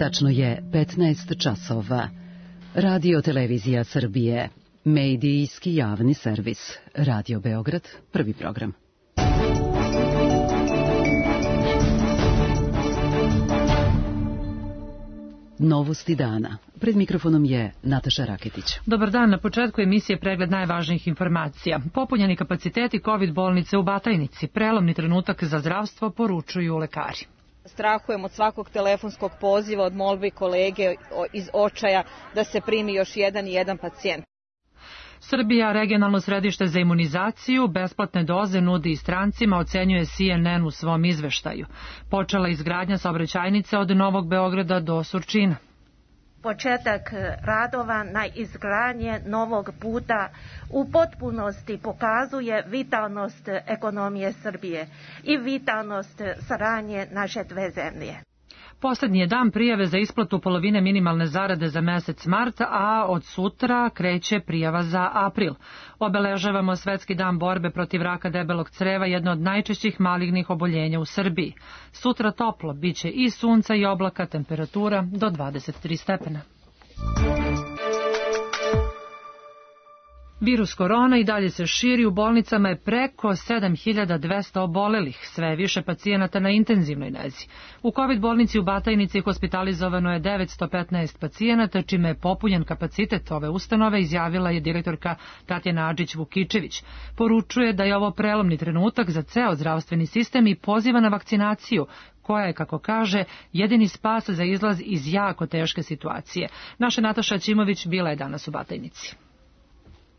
Tačno je 15 časova. Radio Televizija Srbije. Medijski javni servis. Radio Beograd, prvi program. Novosti dana. Pred mikrofonom je Nataša Raketić. Dobar dan, na početku emisije pregled najvažnijih informacija. Popunjeni kapaciteti COVID bolnice u Batajnici. Prelomni trenutak za zdravstvo, poručuju lekari. Strahujem od svakog telefonskog poziva, od molbi kolege iz očaja da se primi još jedan pacijent. Srbija, regionalno središte za imunizaciju, besplatne doze nudi i strancima, ocenjuje CNN u svom izveštaju. Počela izgradnja saobraćajnice od Novog Beograda do Surčina. Početak radova na izgradnje novog puta u potpunosti pokazuje vitalnost ekonomije Srbije i vitalnost saradnje naše dve zemlje. Poslednji je dan prijave za isplatu polovine minimalne zarade za mesec mart, a od sutra kreće prijava za april. Obeležavamo Svetski dan borbe protiv raka debelog creva, jedno od najčešćih malignih oboljenja u Srbiji. Sutra toplo, biće i sunca i oblaka, temperatura do 23 stepena. Virus korona i dalje se širi, u bolnicama je preko 7200 obolelih, sve je više pacijenata na intenzivnoj nezi. U COVID bolnici u Batajnici hospitalizovano je 915 pacijenata, čime je popunjen kapacitet ove ustanove, izjavila je direktorka Tatjana Adžić-Vukičević. Poručuje da je ovo prelomni trenutak za ceo zdravstveni sistem i poziva na vakcinaciju, koja je, kako kaže, jedini spas za izlaz iz jako teške situacije. Naša Nataša Ćimović bila je danas u Batajnici.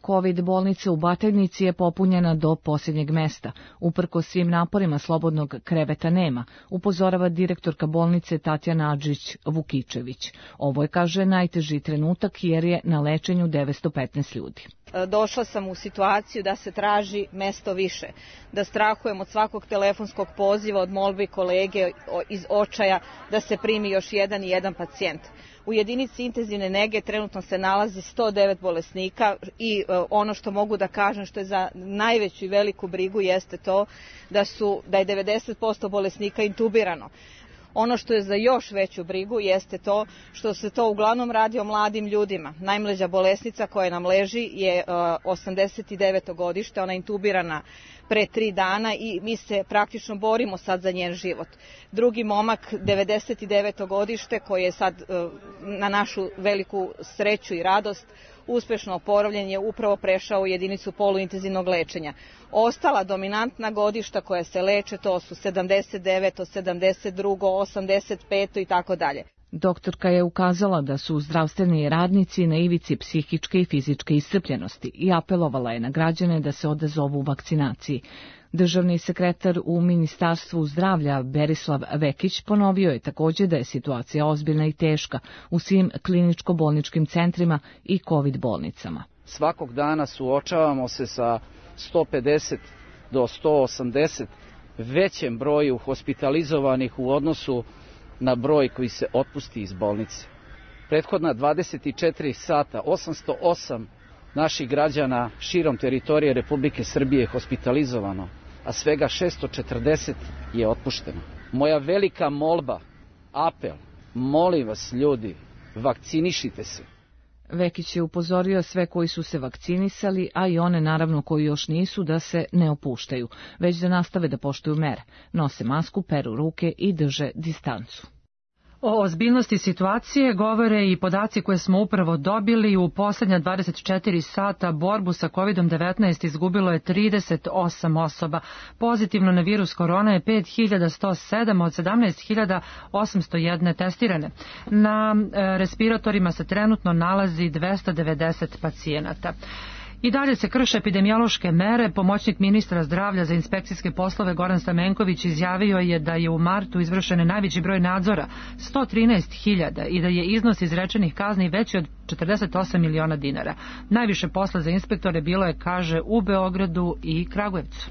COVID bolnica u Batajnici je popunjena do posljednjeg mesta. Uprkos svim naporima slobodnog kreveta nema, upozorava direktorka bolnice Tatjana Adžić-Vukičević. Ovo je, kaže, najteži trenutak jer je na lečenju 915 ljudi. Došla sam u situaciju da se traži mesto više, da strahujem od svakog telefonskog poziva, od molbi kolege iz očaja da se primi još jedan pacijent. U jedinici intenzivne nege trenutno se nalazi 109 bolesnika i ono što mogu da kažem što je za najveću i veliku brigu jeste to da je 90% bolesnika intubirano. Ono što je za još veću brigu jeste to što se to uglavnom radi o mladim ljudima. Najmlađa bolesnica koja nam leži je 89. godište, ona je intubirana pre 3 dana i mi se praktično borimo sad za njen život. Drugi momak, 99. godište, koji je sad na našu veliku sreću i radost uspešno oporavljen, je upravo prešao u jedinicu poluintenzivnog lečenja. Ostala dominantna godišta koja se leče, to su 79., 72., 85. i tako dalje. Doktorka je ukazala da su zdravstveni radnici na ivici psihičke i fizičke iscrpljenosti i apelovala je na građane da se odazovu vakcinaciji. Državni sekretar u Ministarstvu zdravlja Berislav Vekić ponovio je također da je situacija ozbiljna i teška u svim kliničko-bolničkim centrima i COVID bolnicama. Svakog dana suočavamo se sa 150 do 180 većem broju hospitalizovanih u odnosu na broj koji se otpusti iz bolnice. Prethodna 24 sata 808 naših građana širom teritorije Republike Srbije je hospitalizovano, a svega 640 je otpušteno. Moja velika molba, apel, molim vas ljudi, vakcinišite se. Vekić je upozorio sve koji su se vakcinisali, a i one naravno koji još nisu, da se ne opuštaju, već da nastave da poštuju mere, nose masku, peru ruke i drže distancu. O ozbiljnosti situacije govore i podaci koje smo upravo dobili. U posljednja 24 sata borbu sa COVID-19 izgubilo je 38 osoba. Pozitivno na virus korona je 5107 od 17.801 testirane. Na respiratorima se trenutno nalazi 290 pacijenata. I dalje se krše epidemiološke mere. Pomoćnik ministra zdravlja za inspekcijske poslove Goran Stamenković izjavio je da je u martu izvršen najveći broj nadzora, 113.000, i da je iznos izrečenih kazni veći od 48 miliona dinara. Najviše posla za inspektore bilo je, kaže, u Beogradu i Kragujevcu.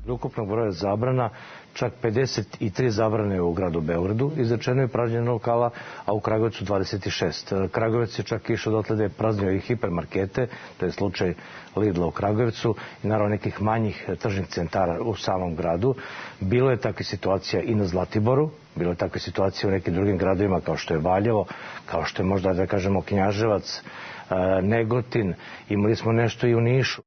Ukupnog broja zabrana, čak 53 zabrane u gradu Beogradu, izrečeno je pražnjenje lokala, a u Kragujevcu 26. Kragujevac je čak išao dotle da je praznio i hipermarkete, to je slučaj Lidla u Kragujevcu i naravno nekih manjih tržnih centara u samom gradu. Bilo je takve situacija i na Zlatiboru, bilo je takve situacije u nekim drugim gradovima kao što je Valjevo, kao što je možda da kažemo Knjaževac, Negotin, imali smo nešto i u Nišu.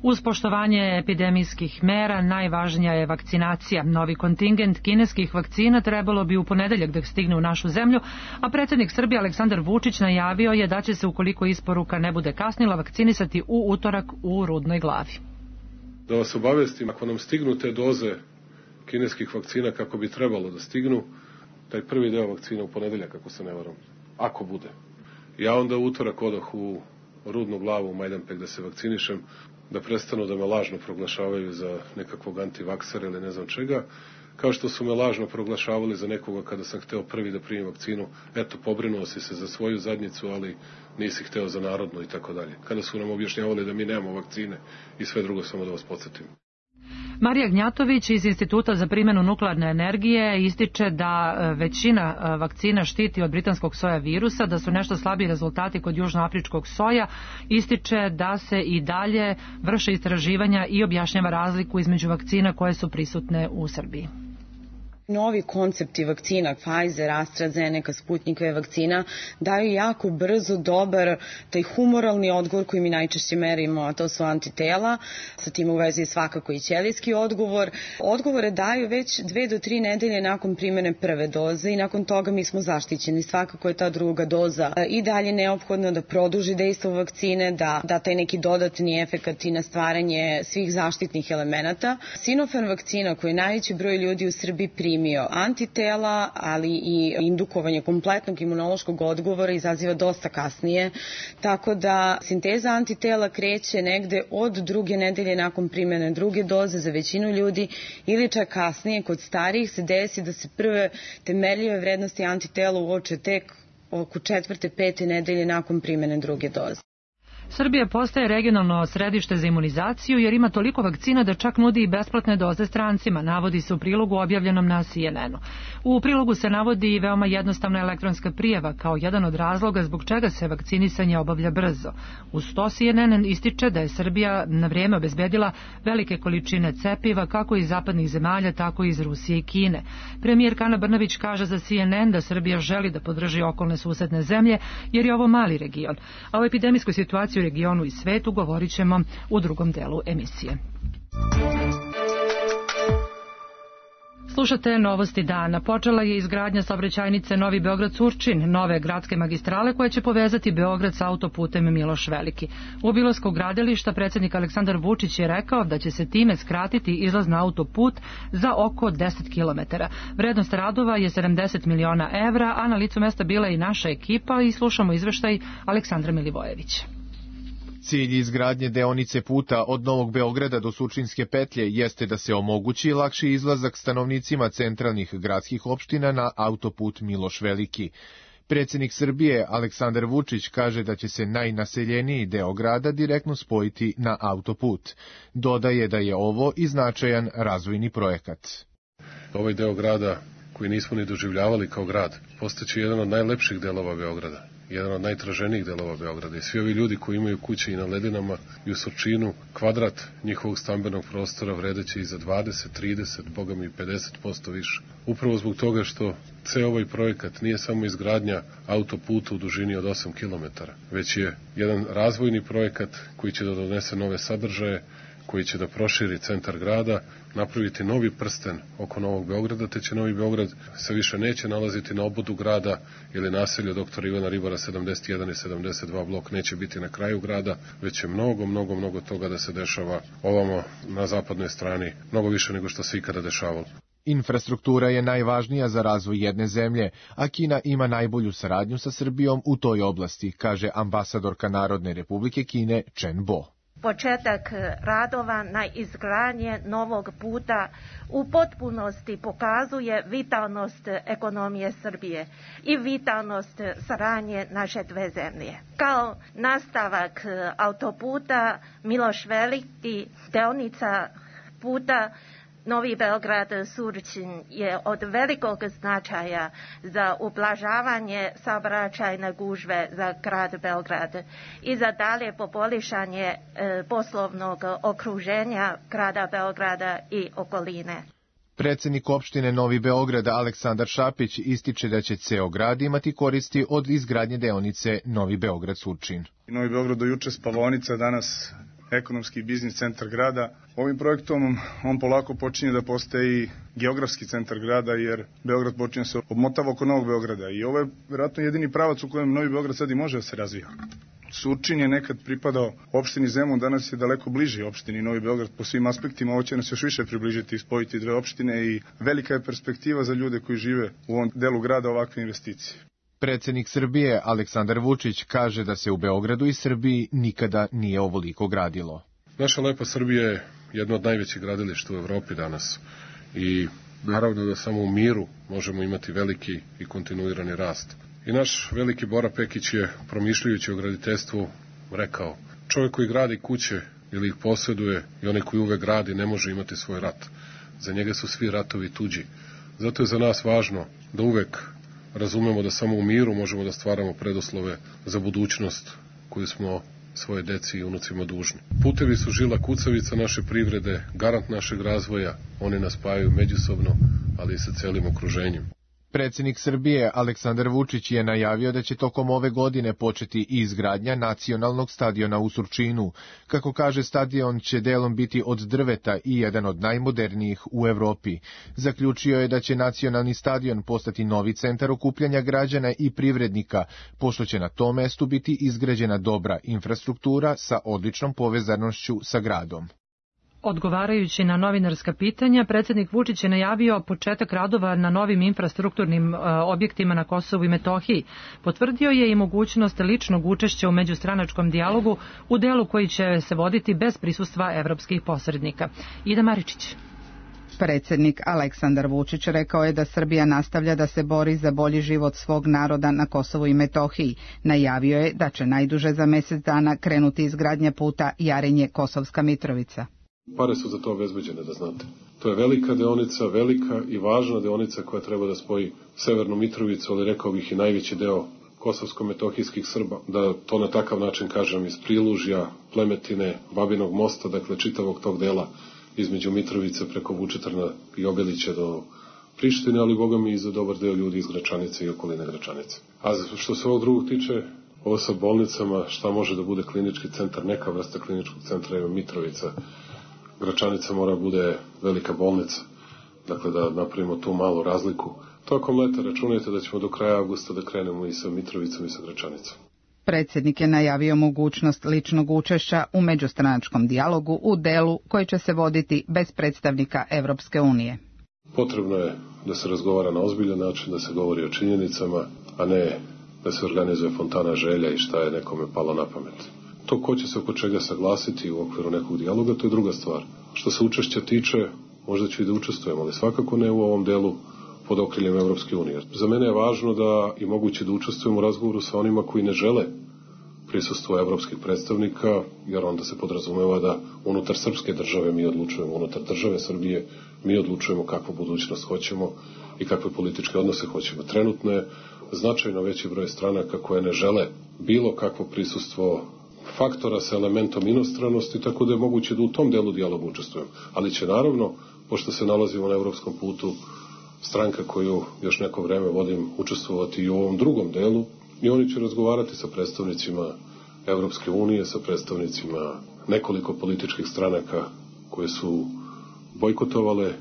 Uz poštovanje epidemijskih mera najvažnija je vakcinacija. Novi kontingent kineskih vakcina trebalo bi u ponedeljak da stigne u našu zemlju, a predsjednik Srbije Aleksandar Vučić najavio je da će se, ukoliko isporuka ne bude kasnila, vakcinisati u utorak u Rudnoj Glavi. Da vas obavestim, ako nam stignu te doze kineskih vakcina kako bi trebalo da stignu, taj prvi deo vakcina u ponedeljak, ako se ne varam, ako bude. Ja onda u utorak odoh u Rudnu Glavu, u Majdanpek da se vakcinišem, da prestanu da me lažno proglašavaju za nekakvog antivaksera ili ne znam čega, kao što su me lažno proglašavali za nekoga kada sam hteo prvi da primim vakcinu, eto, pobrinuo si se za svoju zadnjicu, ali nisi hteo za narodnu i tako dalje. Kada su nam objašnjavali da mi nemamo vakcine i sve drugo, samo da vas podsjetim. Marija Gnjatović iz Instituta za primjenu nuklearne energije ističe da većina vakcina štiti od britanskog soja virusa, da su nešto slabiji rezultati kod južnoafričkog soja. Ističe da se i dalje vrše istraživanja i objašnjava razliku između vakcina koje su prisutne u Srbiji. Novi koncepti vakcina, Pfizer, AstraZeneca, Sputnikove vakcina, daju jako brzo dobar taj humoralni odgovor koji mi najčešće merimo, a to su antitela. Sa tim u vezi je svakako i ćelijski odgovor. Odgovore daju već 2 do 3 nedelje nakon primjene prve doze i nakon toga mi smo zaštićeni. Svakako je ta druga doza i dalje neophodna da produži dejstvo vakcine, da taj neki dodatni efekat i na stvaranje svih zaštitnih elemenata. Sinopharm vakcina koju je najveći broj ljudi u Srbiji primio antitela, ali i indukovanje kompletnog imunološkog odgovora izaziva dosta kasnije, tako da sinteza antitela kreće negde od 2. nedelje nakon primjene druge doze za većinu ljudi ili čak kasnije. Kod starijih se desi da se prve temeljive vrednosti antitela uoče tek oko 4. 5. nedelje nakon primjene druge doze. Srbija postaje regionalno središte za imunizaciju jer ima toliko vakcina da čak nudi i besplatne doze strancima, navodi se u prilogu objavljenom na CNN-u. U prilogu se navodi i veoma jednostavna elektronska prijava kao jedan od razloga zbog čega se vakcinisanje obavlja brzo. Uz to CNN ističe da je Srbija na vrijeme obezbedila velike količine cepiva kako iz zapadnih zemalja, tako i iz Rusije i Kine. Premijerka Ana Brnabić kaže za CNN da Srbija želi da podrži okolne susedne zemlje jer je ovo mali region, a o epidemijskoj situaciji u regionu i svetu govorit ćemo u drugom delu emisije. Slušate novosti dana. Počela je izgradnja saobraćajnice Novi Beograd-Surčin, nove gradske magistrale koje će povezati Beograd sa autoputem Miloš Veliki. U obilasku gradilišta predsjednik Aleksandar Vučić je rekao da će se time skratiti izlaz na autoput za oko 10 km. Vrednost radova je 70 miliona evra, a na licu mesta bila i naša ekipa i slušamo izveštaj Aleksandra Milivojevića. Cilj izgradnje deonice puta od Novog Beograda do Surčinske petlje jeste da se omogući lakši izlazak stanovnicima centralnih gradskih opština na autoput Miloš Veliki. Predsjednik Srbije Aleksandar Vučić kaže da će se najnaseljeniji deo grada direktno spojiti na autoput. Dodaje da je ovo i značajan razvojni projekat. Ovaj deo grada koji nismo ni doživljavali kao grad postaće jedan od najlepših delova Beograda, jedan od najtraženijih delova Beograda. I svi ovi ljudi koji imaju kuće i na Ledinama i u Surčinu, kvadrat njihovog stambenog prostora vredeće i za 20, 30, bogami 50% više. Upravo zbog toga što ceo ovaj projekat nije samo izgradnja autoputa u dužini od 8 km, već je jedan razvojni projekat koji će da donese nove sadržaje, koji će da proširi centar grada, napraviti novi prsten oko Novog Beograda, te će Novi Beograd se više neće nalaziti na obodu grada ili naselju doktora Ivana Ribara 71 i 72 blok neće biti na kraju grada, već će mnogo toga da se dešava ovamo na zapadnoj strani, mnogo više nego što se ikada dešavalo. Infrastruktura je najvažnija za razvoj jedne zemlje, a Kina ima najbolju saradnju sa Srbijom u toj oblasti, kaže ambasadorka Narodne Republike Kine Chen Bo. Početak radova na izgradnje novog puta u potpunosti pokazuje vitalnost ekonomije Srbije i vitalnost saradnje naše dve zemlje. Kao nastavak autoputa Miloš Veliki, deonica puta Novi Beograd-Surčin je od velikog značaja za ublažavanje saobraćajne gužve za grad Beograd i za dalje poboljšanje poslovnog okruženja grada Beograda i okoline. Predsednik opštine Novi Beograd Aleksandar Šapić ističe da će ceo grad imati koristi od izgradnje deonice Novi Beograd-Surčin. Novi Beograd do juče spavaonica, danas ekonomski i biznis centar grada. Ovim projektom on polako počinje da postaje i geografski centar grada, jer Beograd počinje se obmotava oko Novog Beograda i ovo je vjerojatno jedini pravac u kojem Novi Beograd sad i može da se razvija. Surčin je nekad pripadao opštini Zemun, danas je daleko bliži opštini Novi Beograd po svim aspektima. Ovo će nas još više približiti i spojiti dve opštine i velika je perspektiva za ljude koji žive u ovom delu grada ovakve investicije. Predsednik Srbije Aleksandar Vučić kaže da se u Beogradu i Srbiji nikada nije ovoliko gradilo. Naša lepa Srbija je jedno od najvećih gradilišta u Evropi danas i naravno da samo u miru možemo imati veliki i kontinuirani rast. I naš veliki Bora Pekić je, promišljajući o graditeljstvu, rekao: čovjek koji gradi kuće ili ih posjeduje i onaj koji uvek gradi ne može imati svoj rat. Za njega su svi ratovi tuđi. Zato je za nas važno da uvek razumemo da samo u miru možemo da stvaramo preduslove za budućnost koju smo svoje deci i unucima dužni. Putevi su žila kucavica naše privrede, garant našeg razvoja, oni nas spajaju međusobno, ali i sa celim okruženjem. Predsednik Srbije Aleksandar Vučić je najavio da će tokom ove godine početi izgradnja nacionalnog stadiona u Surčinu. Kako kaže, stadion će delom biti od drveta i jedan od najmodernijih u Evropi. Zaključio je da će nacionalni stadion postati novi centar okupljanja građana i privrednika, pošto će na tom mestu biti izgrađena dobra infrastruktura sa odličnom povezanošću sa gradom. Odgovarajući na novinarska pitanja, predsednik Vučić je najavio početak radova na novim infrastrukturnim objektima na Kosovu i Metohiji. Potvrdio je i mogućnost ličnog učešća u međustranačkom dijalogu u delu koji će se voditi bez prisustva evropskih posrednika. Ida Maričić. Predsednik Aleksandar Vučić rekao je da Srbija nastavlja da se bori za bolji život svog naroda na Kosovu i Metohiji. Najavio je da će najduže za mesec dana krenuti izgradnja puta Jarinje-Kosovska Mitrovica. Pare su za to obezbeđene, da znate. To je velika deonica, velika i važna deonica koja treba da spoji Severnu Mitrovicu, ali rekao bih i najveći deo kosovsko-metohijskih Srba, da to na takav način kažem iz Prilužja, Plemetine, Babinog mosta, dakle čitavog tog dela između Mitrovice preko Vučitrna i Obilića do Prištine, ali boga mi i za dobar deo ljudi iz Gračanice i okoline Gračanice. A što se ovog drugog tiče, ovo sa bolnicama, šta može da bude klinički centar, neka vrsta kliničkog centra je Mitrovica. Gračanica mora bude velika bolnica, dakle da napravimo tu malu razliku. Tokom leta računajte da ćemo do kraja avgusta da krenemo i sa Mitrovicom i sa Gračanicom. Predsednik je najavio mogućnost ličnog učešća u međustranačkom dijalogu u delu koji će se voditi bez predstavnika Evropske unije. Potrebno je da se razgovara na ozbiljan način, da se govori o činjenicama, a ne da se organizuje fontana želja i šta je nekome palo na pamet. To ko će se oko čega saglasiti u okviru nekog dijaloga, to je druga stvar. Što se učešća tiče, možda ću i da učestvujemo, ali svakako ne u ovom delu pod okriljem Evropske unije. Za mene je važno da i moguće da učestvujemo u razgovoru sa onima koji ne žele prisustvo evropskih predstavnika, jer onda se podrazumeva da unutar srpske države mi odlučujemo, unutar države Srbije mi odlučujemo kakvu budućnost hoćemo i kakve političke odnose hoćemo. Trenutno je značajno veći broj stranaka koje ne žele bilo kakvo prisustvo faktora sa elementom inostranosti, tako da je moguće da u tom delu dijaloga učestvujem. Ali će naravno, pošto se nalazimo na evropskom putu, stranka koju još neko vreme vodim učestvovati i u ovom drugom delu i oni će razgovarati sa predstavnicima Evropske unije, sa predstavnicima nekoliko političkih stranaka koje su bojkotovale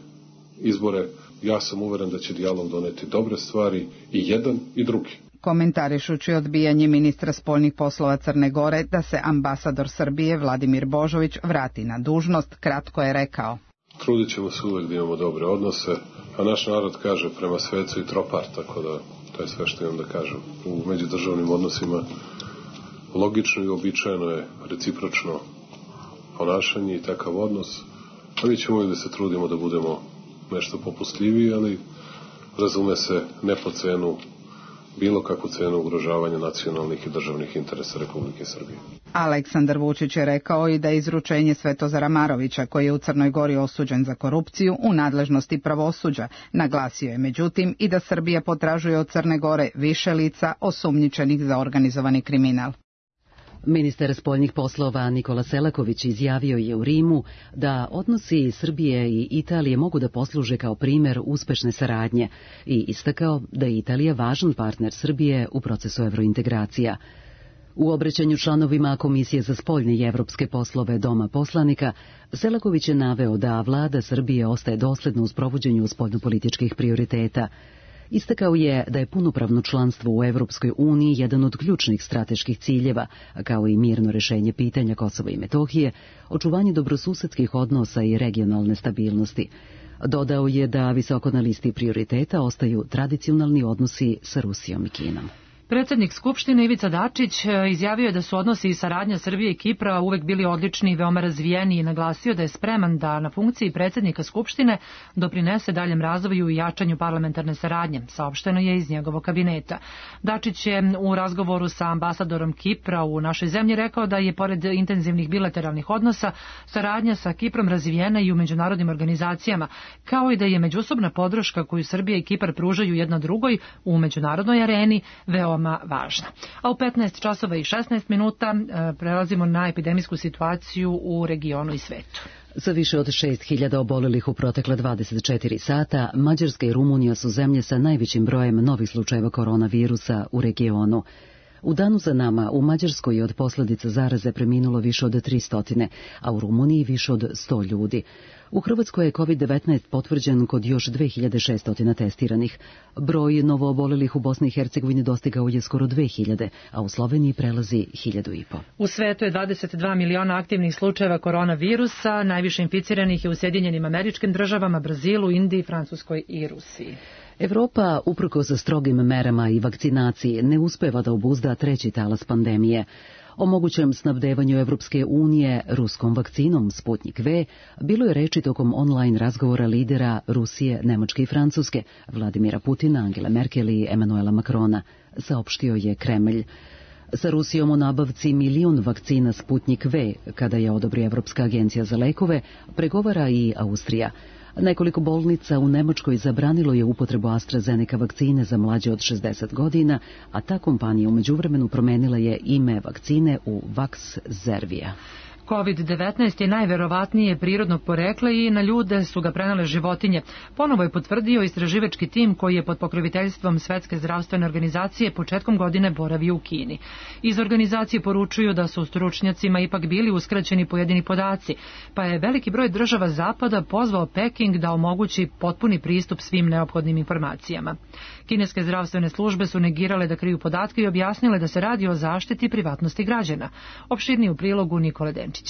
izbore. Ja sam uveren da će dijalog doneti dobre stvari i jedan i drugi. Komentarišući odbijanje ministra spoljnih poslova Crne Gore da se ambasador Srbije Vladimir Božović vrati na dužnost, kratko je rekao: trudit ćemo se uvek da imamo dobre odnose, a naš narod kaže prema svecu i tropar, tako da to je sve što imam da kažem. U međudržavnim odnosima logično i običajno je recipročno ponašanje i takav odnos, a mi ćemo uvijek da se trudimo da budemo nešto popustljiviji, ali razume se ne po cenu bilo kakvu cenu ugrožavanja nacionalnih i državnih interesa Republike Srbije. Aleksandar Vučić je rekao i da je izručenje Svetozara Marovića, koji je u Crnoj Gori osuđen za korupciju, u nadležnosti pravosuđa. Naglasio je međutim i da Srbija potražuje od Crne Gore više lica osumnjičenih za organizovani kriminal. Ministar spoljnih poslova Nikola Selaković izjavio je u Rimu da odnosi Srbije i Italije mogu da posluže kao primer uspešne saradnje i istakao da je Italija važan partner Srbije u procesu evrointegracija. U obraćanju članovima Komisije za spoljne i evropske poslove Doma poslanika, Selaković je naveo da vlada Srbije ostaje dosledna u sprovođenju spoljnopolitičkih prioriteta. Istakao je da je punopravno članstvo u Evropskoj uniji jedan od ključnih strateških ciljeva, kao i mirno rešenje pitanja Kosova i Metohije, očuvanje dobrosusedskih odnosa i regionalne stabilnosti. Dodao je da visoko na listi prioriteta ostaju tradicionalni odnosi sa Rusijom i Kinom. Predsjednik Skupštine Ivica Dačić izjavio je da su odnosi i saradnja Srbije i Kipra uvek bili odlični i veoma razvijeni i naglasio da je spreman da na funkciji predsjednika Skupštine doprinese daljem razvoju i jačanju parlamentarne saradnje, saopšteno je iz njegovog kabineta. Dačić je u razgovoru sa ambasadorom Kipra u našoj zemlji rekao da je pored intenzivnih bilateralnih odnosa saradnja sa Kiprom razvijena i u međunarodnim organizacijama, kao i da je međusobna podrška koju Srbija i Kipar pružaju jedna drugoj u međunarodnoj areni veoma važna. A u 15 časova i 16 minuta prelazimo na epidemijsku situaciju u regionu i svetu. Sa više od 6.000 obolelih u protekle 24 sata, Mađarska i Rumunija su zemlje sa najvećim brojem novih slučajeva koronavirusa u regionu. U danu za nama u Mađarskoj je od posljedica zaraze preminulo više od 300, a u Rumuniji više od 100 ljudi. U Hrvatskoj je COVID-19 potvrđen kod još 2600 testiranih. Broj novoobolelih u Bosni i Hercegovini dostigao je skoro 2000, a u Sloveniji prelazi 1500. U svetu je 22 miliona aktivnih slučajeva koronavirusa, najviše inficiranih je u Sjedinjenim Američkim Državama, Brazilu, Indiji, Francuskoj i Rusiji. Evropa, uprkos strogim merama i vakcinaciji, ne uspeva da obuzda treći talas pandemije. O mogućem snabdevanju Evropske unije ruskom vakcinom Sputnik V bilo je reči tokom online razgovora lidera Rusije, Nemačke i Francuske, Vladimira Putina, Angele Merkel i Emanuela Macrona, saopštio je Kremlj. Sa Rusijom u nabavci 1 milion vakcina Sputnik V, kada je odobri Evropska agencija za lekove, pregovara i Austrija. Nekoliko bolnica u Nemačkoj zabranilo je upotrebu AstraZeneca vakcine za mlađe od 60 godina, a ta kompanija u međuvremenu promenila je ime vakcine u Vaxzervia. COVID-19 je najverovatnije prirodnog porekla i na ljude su ga prenele životinje. Ponovo je potvrdio istraživački tim koji je pod pokroviteljstvom Svetske zdravstvene organizacije početkom godine boravio u Kini. Iz organizacije poručuju da su stručnjacima ipak bili uskraćeni pojedini podaci, pa je veliki broj država Zapada pozvao Peking da omogući potpuni pristup svim neophodnim informacijama. Kineske zdravstvene službe su negirale da kriju podatke i objasnile da se radi o zaštiti privatnosti građana. Opširniji u prilogu Nikole Denčića.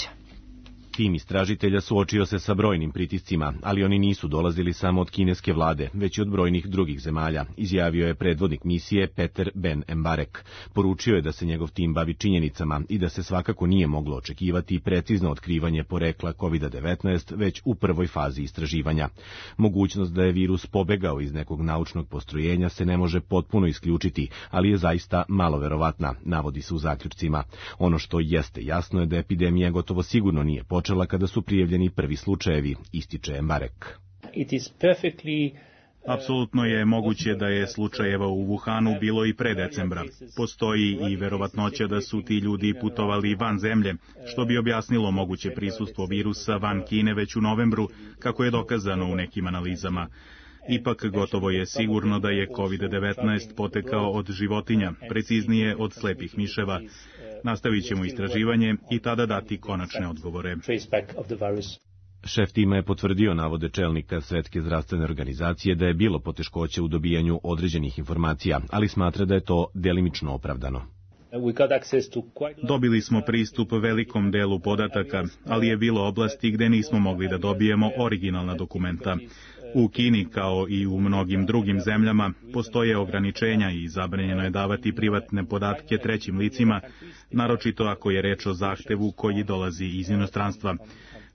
Tim istražitelja suočio se sa brojnim pritiscima, ali oni nisu dolazili samo od kineske vlade, već i od brojnih drugih zemalja, izjavio je predvodnik misije Peter Ben Embarek. Poručio je da se njegov tim bavi činjenicama i da se svakako nije moglo očekivati precizno otkrivanje porekla COVID-19 već u prvoj fazi istraživanja. Mogućnost da je virus pobegao iz nekog naučnog postrojenja se ne može potpuno isključiti, ali je zaista malo verovatna, navodi se u zaključcima. Ono što jeste jasno je da epidemija gotovo sigurno nije počela kada su prijavljeni prvi slučajevi, ističe Embarek. Apsolutno je moguće da je slučajeva u Wuhanu bilo i pre decembra. Postoji i verovatnoća da su ti ljudi putovali van zemlje, što bi objasnilo moguće prisustvo virusa van Kine već u novembru, kako je dokazano u nekim analizama. Ipak gotovo je sigurno da je COVID-19 potekao od životinja, preciznije od slepih miševa. Nastavit ćemo istraživanje i tada dati konačne odgovore. Šef tima je potvrdio navode čelnika Svetske zdravstvene organizacije da je bilo poteškoća u dobijanju određenih informacija, ali smatra da je to delimično opravdano. Dobili smo pristup velikom delu podataka, ali je bilo oblasti gde nismo mogli da dobijemo originalna dokumenta. U Kini, kao i u mnogim drugim zemljama, postoje ograničenja i zabranjeno je davati privatne podatke trećim licima, naročito ako je reč o zahtevu koji dolazi iz inostranstva.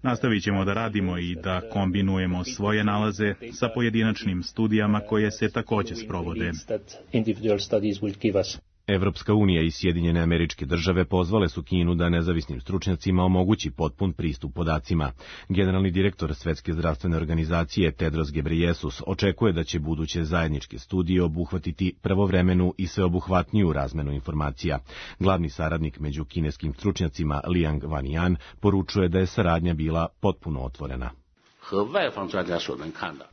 Nastavit ćemo da radimo i da kombinujemo svoje nalaze sa pojedinačnim studijama koje se takođe sprovode. Evropska unija i Sjedinjene Američke Države pozvale su Kinu da nezavisnim stručnjacima omogući potpun pristup podacima. Generalni direktor Svetske zdravstvene organizacije Tedros Ghebreyesus očekuje da će buduće zajedničke studije obuhvatiti pravovremenu i sveobuhvatniju razmenu informacija. Glavni saradnik među kineskim stručnjacima Liang Wanyan poručuje da je saradnja bila potpuno otvorena.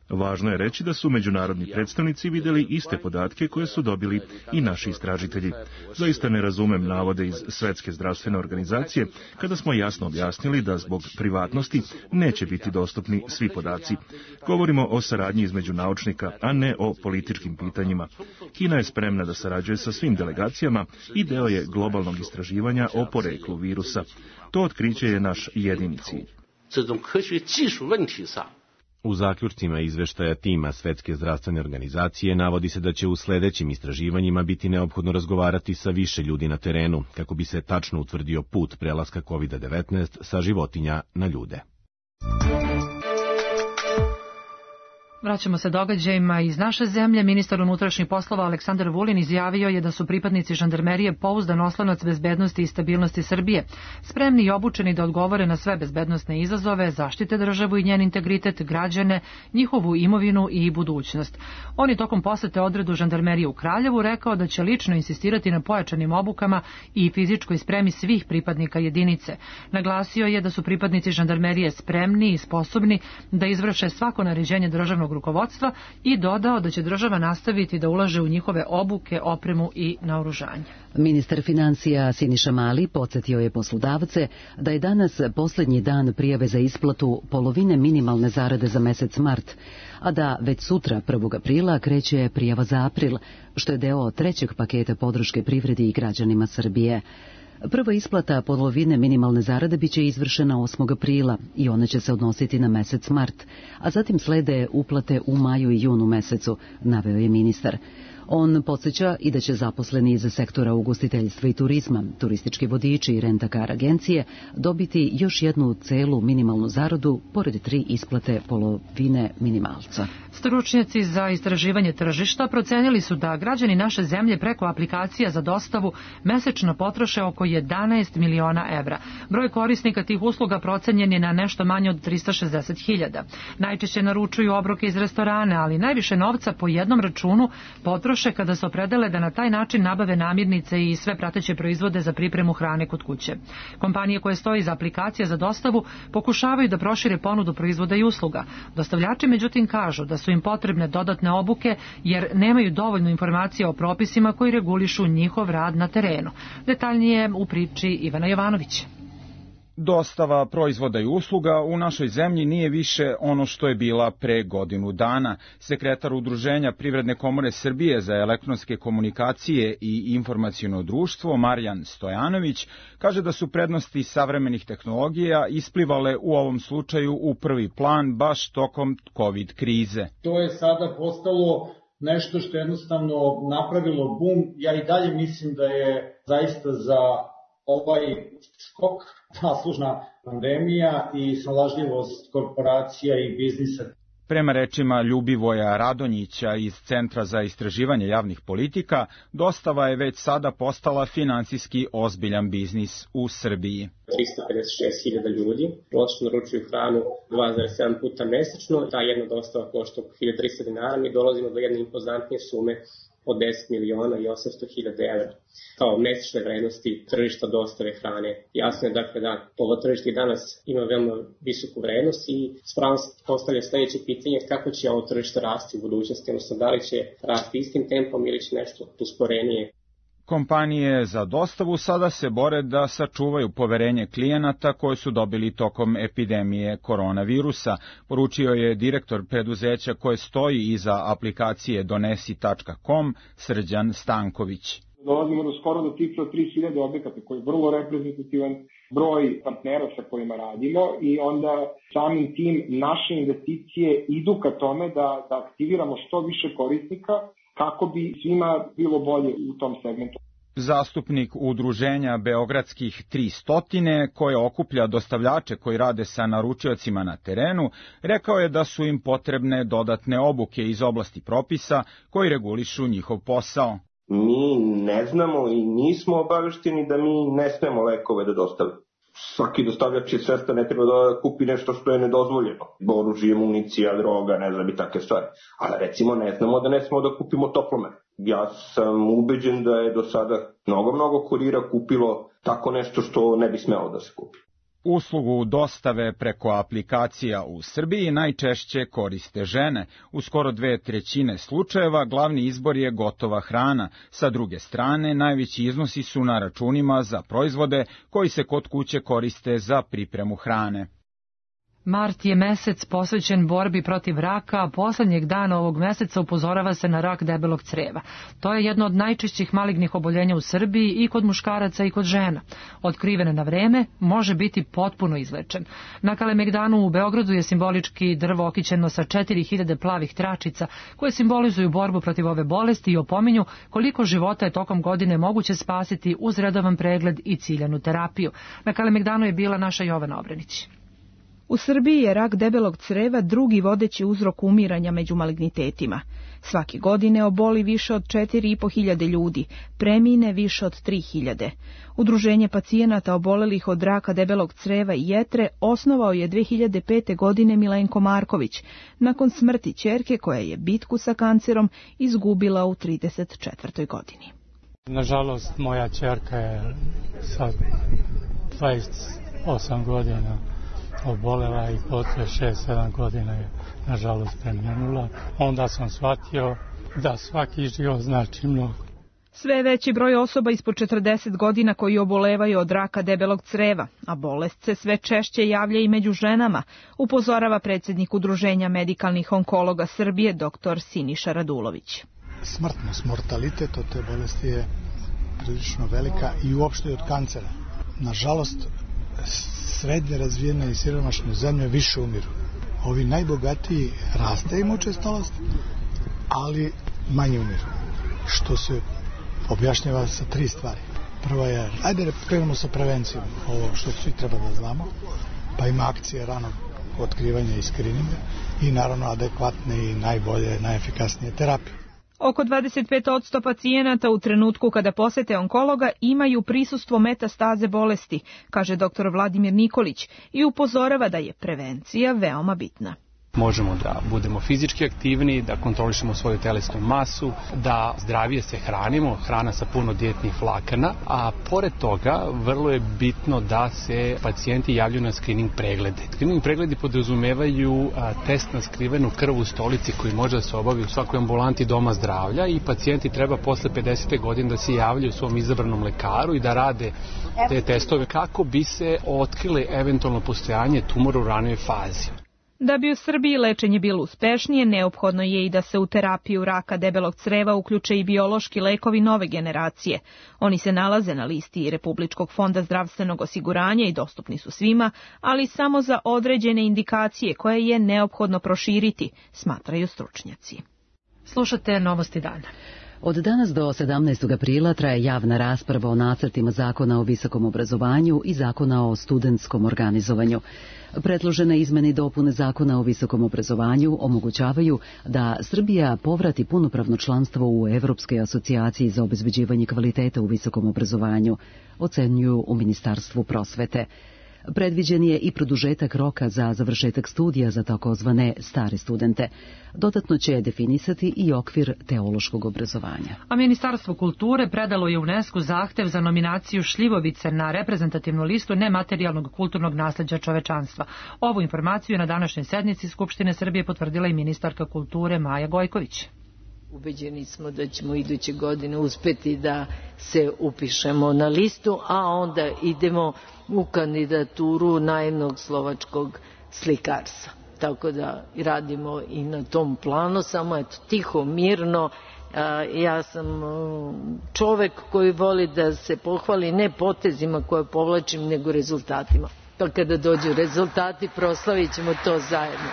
Važno je reći da su međunarodni predstavnici vidjeli iste podatke koje su dobili i naši istražitelji. Zaista ne razumem navode iz Svetske zdravstvene organizacije kada smo jasno objasnili da zbog privatnosti neće biti dostupni svi podaci. Govorimo o saradnji između naučnika, a ne o političkim pitanjima. Kina je spremna da sarađuje sa svim delegacijama i deo je globalnog istraživanja o poreklu virusa. To otkriće je naš jedini cilj. U zaključcima izveštaja tima Svetske zdravstvene organizacije navodi se da će u sledećim istraživanjima biti neophodno razgovarati sa više ljudi na terenu, kako bi se tačno utvrdio put prelaska COVID-19 sa životinja na ljude. Vraćamo se događajima iz naše zemlje. Ministar unutrašnjih poslova Aleksandar Vulin izjavio je da su pripadnici žandarmerije pouzdan oslonac bezbednosti i stabilnosti Srbije, spremni i obučeni da odgovore na sve bezbednosne izazove, zaštite državu i njen integritet, građane, njihovu imovinu i budućnost. On je tokom posete odredu žandarmerije u Kraljevu rekao da će lično insistirati na pojačanim obukama i fizičkoj spremi svih pripadnika jedinice. Naglasio je da su pripadnici žandarmerije spremni i sposobni da izvrše svako naređenje državnog rukovodstva i dodao da će država nastaviti da ulaže u njihove obuke, opremu i naoružanje. Ministar financija Siniša Mali podsjetio je poslodavce da je danas posljednji dan prijave za isplatu polovine minimalne zarade za mesec mart, a da već sutra 1. aprila kreće prijava za april, što je deo trećeg paketa podrške privredi i građanima Srbije. Prva isplata polovine minimalne zarade biće izvršena 8. aprila i ona će se odnositi na mesec mart, a zatim slede uplate u maju i junu mesecu, naveo je ministar. On podsjeća i da će zaposleni iz sektora ugostiteljstva i turizma, turistički vodiči i rentakar agencije dobiti još jednu celu minimalnu zaradu pored 3 isplate polovine minimalca. Stručnjaci za istraživanje tržišta procenili su da građani naše zemlje preko aplikacija za dostavu mesečno potroše oko 11 miliona evra. Broj korisnika tih usluga procenjen je na nešto manje od 360.000. Najčešće naručuju obroke iz restorana, ali najviše novca po jednom računu potroše kada se opredele da na taj način nabave namirnice i sve prateće proizvode za pripremu hrane kod kuće. Kompanije koje stoje iza aplikacija za dostavu pokušavaju da prošire ponudu proizvoda i usluga. Dostavljači međutim kažu da su im potrebne dodatne obuke jer nemaju dovoljno informacija o propisima koji regulišu njihov rad na terenu. Detaljnije u priči Ivana Jovanović. Dostava proizvoda i usluga u našoj zemlji nije više ono što je bila pre godinu dana. Sekretar Udruženja Privredne komore Srbije za elektronske komunikacije i informaciono društvo Marijan Stojanović kaže da su prednosti savremenih tehnologija isplivale u ovom slučaju u prvi plan baš tokom COVID krize. To je sada postalo nešto što je jednostavno napravilo bum. Ja i dalje mislim da je zaista za ovaj skok zaslužna pandemija i snalažljivost korporacija i biznisa. Prema rečima Ljubivoja Radonjića iz Centra za istraživanje javnih politika, dostava je već sada postala finansijski ozbiljan biznis u Srbiji. 356.000 ljudi prosečno naručuju hranu 2,7 puta mesečno. Ta jedna dostava košta oko 1.300 dinara. Mi dolazimo do jedne impozantnije sume od 10.800.000 evra kao mesečne vrednosti tržišta dostave hrane. Jasno je dakle da ovo tržište danas ima veoma visoku vrednost i s pravom se postavlja sledeće pitanje kako će ovo tržište rasti u budućnosti, odnosno da li će rasti istim tempom ili će nešto usporenije. Kompanije za dostavu sada se bore da sačuvaju poverenje klijenata koje su dobili tokom epidemije koronavirusa, poručio je direktor preduzeća koje stoji iza aplikacije donesi.com Srđan Stanković. Dolazimo do skoro do cifre od 3.000 objekata koji je vrlo reprezentativan broj partnera sa kojima radimo i onda samim tim naše investicije idu ka tome da aktiviramo što više korisnika kako bi svima bilo bolje u tom segmentu. Zastupnik udruženja Beogradskih 300, koje okuplja dostavljače koji rade sa naručiocima na terenu, rekao je da su im potrebne dodatne obuke iz oblasti propisa koji regulišu njihov posao. Mi ne znamo i nismo obavešteni da mi ne smemo lekove da dostavimo. Svaki dostavljač je svestan, ne treba da kupi nešto što je nedozvoljeno. Oružje, municija, droga, ne znam i takve stvari. Ali recimo ne znamo da ne smemo da kupimo toplomer. Ja sam ubeđen da je do sada mnogo kurira kupilo tako nešto što ne bi smelo da se kupi. Uslugu dostave preko aplikacija u Srbiji najčešće koriste žene. U skoro 2/3 slučajeva glavni izbor je gotova hrana. Sa druge strane, najveći iznosi su na računima za proizvode koji se kod kuće koriste za pripremu hrane. Mart je mesec posvećen borbi protiv raka, a poslednjeg dana ovog meseca upozorava se na rak debelog creva. To je jedno od najčešćih malignih oboljenja u Srbiji i kod muškaraca i kod žena. Otkriven na vreme, može biti potpuno izlečen. Na Kalemegdanu u Beogradu je simbolički drvo okićeno sa 4000 plavih tračica koje simbolizuju borbu protiv ove bolesti i opominju koliko života je tokom godine moguće spasiti uz redovan pregled i ciljanu terapiju. Na Kalemegdanu je bila naša Jovana Obrenić. U Srbiji je rak debelog creva drugi vodeći uzrok umiranja među malignitetima. Svake godine oboli više od 4.500 ljudi, premine više od 3.000. Udruženje pacijenata obolelih od raka debelog creva i jetre osnovao je 2005. godine Milenko Marković, nakon smrti ćerke koja je bitku sa kancerom izgubila u 34. godini. Nažalost, moja ćerka je sa 28 godina obolela i posle 6-7 godina je nažalost preminula. Onda sam shvatio da svaki život znači mnogo. Sve veći broj osoba ispod 40 godina koji obolevaju od raka debelog creva, a bolest se sve češće javlja i među ženama, upozorava predsjednik Udruženja medikalnih onkologa Srbije dr. Siniša Radulović. Smrtnost, mortalitet od te bolesti je prilično velika i uopšte od kancera. Nažalost, srednje razvijene i siromašne zemlje više umiru. Ovi najbogatiji raste im učestalost, ali manje umiru. Što se objašnjava sa 3 stvari. Prva je, ajde krenemo sa prevencijom, ovo što svi treba da znamo, pa ima akcije ranog otkrivanja i skrininga i naravno adekvatne i najbolje, najefikasnije terapije. Oko 25% pacijenata u trenutku kada posete onkologa imaju prisustvo metastaze bolesti, kaže dr. Vladimir Nikolić i upozorava da je prevencija veoma bitna. Možemo da budemo fizički aktivni, da kontrolišemo svoju telesnu masu, da zdravije se hranimo, hrana sa puno dijetnih vlakana, a pored toga vrlo je bitno da se pacijenti javljaju na screening preglede. Screening pregledi podrazumevaju test na skrivenu krv u stolici koji može da se obavi u svakoj ambulanti doma zdravlja i pacijenti treba posle 50. godine da se javljaju svom izabranom lekaru i da rade te testove kako bi se otkrile eventualno postojanje tumora u ranoj fazi. Da bi u Srbiji lečenje bilo uspešnije, neophodno je i da se u terapiju raka debelog creva uključe i biološki lekovi nove generacije. Oni se nalaze na listi Republičkog fonda zdravstvenog osiguranja i dostupni su svima, ali samo za određene indikacije koje je neophodno proširiti, smatraju stručnjaci. Slušate Novosti dana. Od danas do 17. aprila traje javna rasprava o nacrtima Zakona o visokom obrazovanju i Zakona o studentskom organizovanju. Predložene izmene i dopune Zakona o visokom obrazovanju omogućavaju da Srbija povrati punopravno članstvo u Evropskoj asocijaciji za obezbeđivanje kvaliteta u visokom obrazovanju, ocenjuju u Ministarstvu prosvete. Predviđen je i produžetak roka za završetak studija za takozvane stare studente. Dodatno će definisati i okvir teološkog obrazovanja. A Ministarstvo kulture predalo je UNESCO zahtev za nominaciju šljivovice na reprezentativnu listu nematerijalnog kulturnog nasleđa čovečanstva. Ovu informaciju na današnjoj sednici Skupštine Srbije potvrdila i ministarka kulture Maja Gojković. Ubeđeni smo da ćemo iduće godine uspeti da se upišemo na listu, a onda idemo u kandidaturu najemnog slovačkog slikarstva. Tako da radimo i na tom planu, samo eto tiho, mirno. Ja sam čovek koji voli da se pohvali ne potezima koje povlačim, nego rezultatima. Pa kada dođu rezultati, proslavit ćemo to zajedno.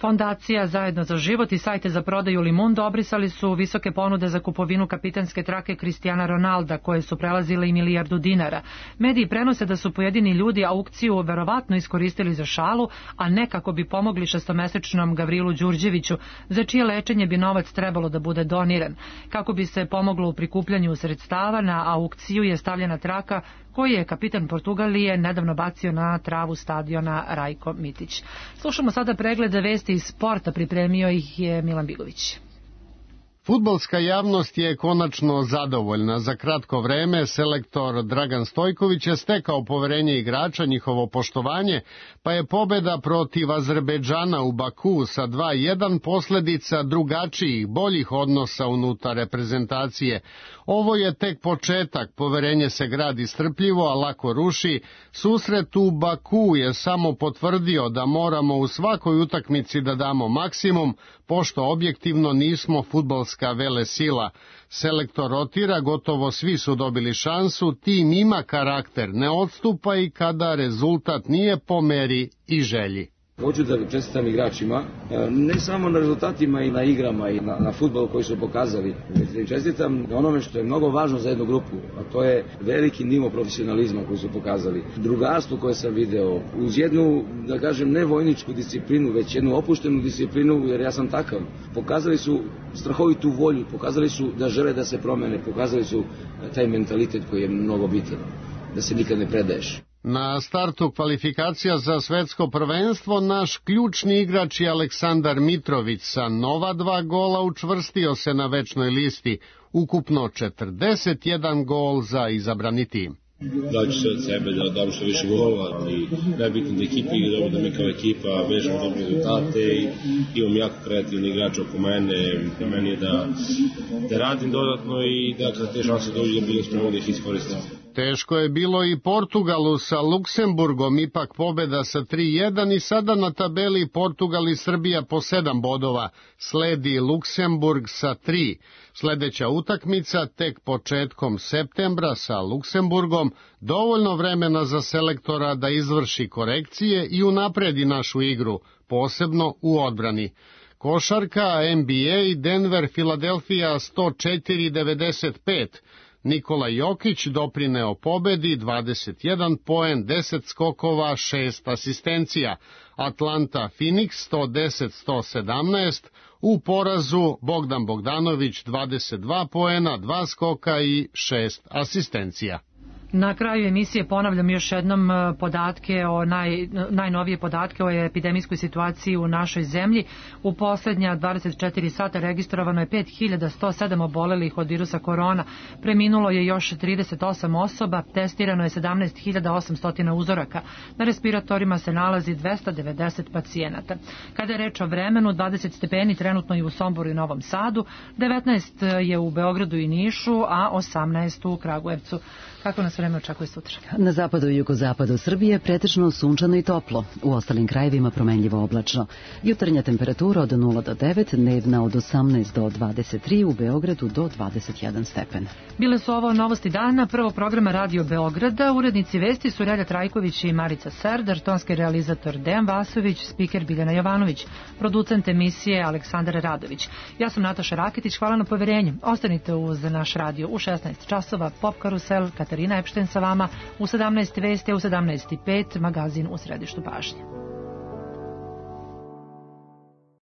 Fondacija Zajedno za život i sajte za prodaju Limundo obrisali su visoke ponude za kupovinu kapitanske trake Cristiana Ronalda, koje su prelazile i $1.000.000. Mediji prenose da su pojedini ljudi aukciju verovatno iskoristili za šalu, a ne kako bi pomogli šestomesečnom Gavrilu Đurđeviću, za čije lečenje bi novac trebalo da bude doniran. Kako bi se pomoglo u prikupljanju sredstava, na aukciju je stavljena traka koji je kapitan Portugalije nedavno bacio na travu stadiona Rajko Mitić. Slušamo sada pregled vesti iz sporta, pripremio ih je Milan Bigović. Fudbalska javnost je konačno zadovoljna. Za kratko vreme selektor Dragan Stojković je stekao poverenje igrača, njihovo poštovanje, pa je pobeda protiv Azerbejdžana u Baku sa 2:1 posledica drugačijih, boljih odnosa unutar reprezentacije. Ovo je tek početak, poverenje se gradi strpljivo, a lako ruši. Susret u Baku je samo potvrdio da moramo u svakoj utakmici da damo maksimum, pošto objektivno nismo fudbalska velesila. Selektor rotira, gotovo svi su dobili šansu, tim ima karakter, ne odstupa i kada rezultat nije po meri i želji. Hoću da čestitam igračima, ne samo na rezultatima i na igrama i na fudbalu koji su pokazali, već da im čestitam na onome što je mnogo važno za jednu grupu, a to je veliki nivo profesionalizma koji su pokazali. Drugarstvo koje sam video, uz jednu, da kažem, ne vojničku disciplinu, već jednu opuštenu disciplinu, jer ja sam takav. Pokazali su strahovitu volju, pokazali su da žele da se promene, pokazali su taj mentalitet koji je mnogo bitan, da se nikad ne predaješ. Na startu kvalifikacija za svetsko prvenstvo naš ključni igrač je Aleksandar Mitrović sa nova 2 gola učvrstio se na večnoj listi, ukupno 41 gol za izabrani tim. Daću se od sebe da dam što više golova, ali najbitno da ekipa igra dobro, da mi kao ekipa vežemo dobre rezultate i imam jako kreativni igrač oko mene. Na meni je da radim dodatno i da kada te šanse dođu da budem spreman da ih iskoristim. Teško je bilo i Portugalu sa Luksemburgom, ipak pobeda sa 3:1 i sada na tabeli Portugal i Srbija po 7 bodova. Sledi Luksemburg sa 3. Sledeća utakmica tek početkom septembra sa Luksemburgom, dovoljno vremena za selektora da izvrši korekcije i unapredi našu igru, posebno u odbrani. Košarka, NBA, Denver, Filadelfija 104-95. Nikola Jokić doprineo pobedi, 21 poen, 10 skokova, 6 asistencija. Atlanta Phoenix 110-117, u porazu Bogdan Bogdanović 22 poena, 2 skoka i 6 asistencija. Na kraju emisije ponavljam još jednom podatke o najnovije podatke o epidemijskoj situaciji u našoj zemlji. U poslednja 24 sata registrovano je 5107 obolelih od virusa korona. Preminulo je još 38 osoba, testirano je 17800 uzoraka. Na respiratorima se nalazi 290 pacijenata. Kada je reč o vremenu, 20 stepeni trenutno je u Somboru i Novom Sadu, 19 je u Beogradu i Nišu, a 18 u Kragujevcu. Kako nas vreme očekuje sutra? Na zapadu i jugozapadu Srbije pretežno sunčano i toplo, u ostalim krajevima promenljivo oblačno. Jutarnja temperatura od 0 do 9, dnevna od 18 do 23, u Beogradu do 21 stepen. Bile su ovo novosti dana prvog programa Radio Beograda. Urednici vesti su Relja Trajković i Marica Serdar, tonski realizator Dejan Vasović, spiker Biljana Jovanović, producent emisije Aleksandar Radović. Ja sam Nataša Raketić, hvala na poverenju. Ostanite uz naš radio u 16 časova, Pop Karusel, Katarina Epšten sa vama, u 17 vesti, u 17:05 magazin u središtu pažnje.